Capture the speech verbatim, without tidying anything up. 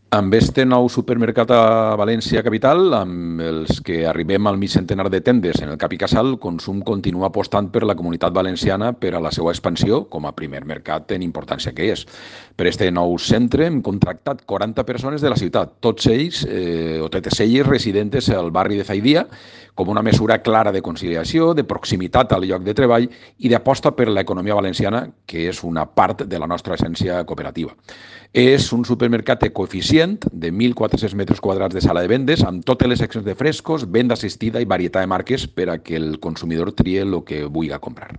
Amb este nou supermercat a València capital, amb els que arribem al mig centenar de tendes en el Cap i Casal, Consum continua apostant per la Comunitat Valenciana per a la seva expansió com a primer mercat en importància que és. Per este nou centre hem contractat quaranta persones de la ciutat, tots ells, eh, o totes elles residentes al barri de Zaidia, com una mesura clara de conciliació, de proximitat al lloc de treball i d'aposta per l'economia valenciana, que és una part de la nostra essència cooperativa. És un supermercat ecoeficient de mil quatre-cents metres quadrats de sala de vendes amb totes les seccions de frescos, venda assistida i varietat de marques per a que el consumidor trie el que vulgui comprar.